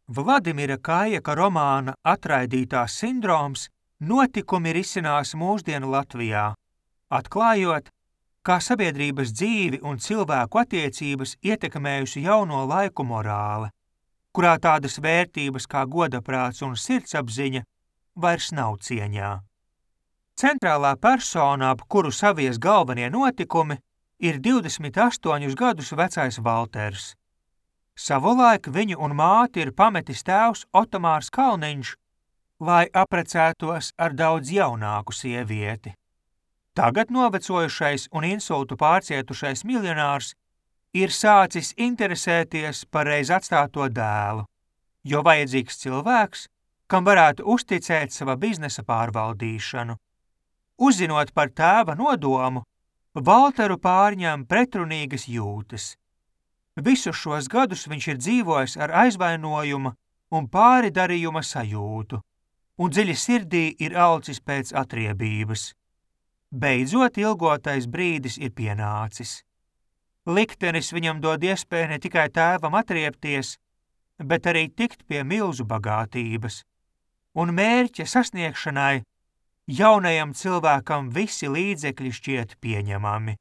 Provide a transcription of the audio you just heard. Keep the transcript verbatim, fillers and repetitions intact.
Vladimira Kājaka romāna Atraidītās sindroms notikumi risinās mūsdienu Latvijā, atklājot, kā sabiedrības dzīvi un cilvēku attiecības ietekmējusi jauno laiku morāle, kurā tādas vērtības kā godaprāts un sirdsapziņa vairs nav cieņā. Centrālā persona, ap kuru savies galvenie notikumi, ir divdesmit astoņus gadus vecais Valters. Savulaik viņu un māti ir pametis tēvs Otomārs Kalniņš, lai aprecētos ar daudz jaunāku sievieti. Tagad novecojušais un insultu pārcietušais miljonārs ir sācis interesēties par reiz atstāto dēlu, jo vajadzīgs cilvēks, kam varētu uzticēt sava biznesa pārvaldīšanu. Uzzinot par tēva nodomu, Valteru pārņem pretrunīgas jūtas. Visus šos gadus viņš ir dzīvojis ar aizvainojuma un pāridarījuma sajūtu, un dziļi sirdī ir alcis pēc atriebības. Beidzot ilgotais brīdis ir pienācis. Liktenis viņam dod iespēju ne tikai tēvam atriebties, bet arī tikt pie milzu bagātības, un mērķa sasniegšanai jaunajam cilvēkam visi līdzekļi šķiet pieņemami.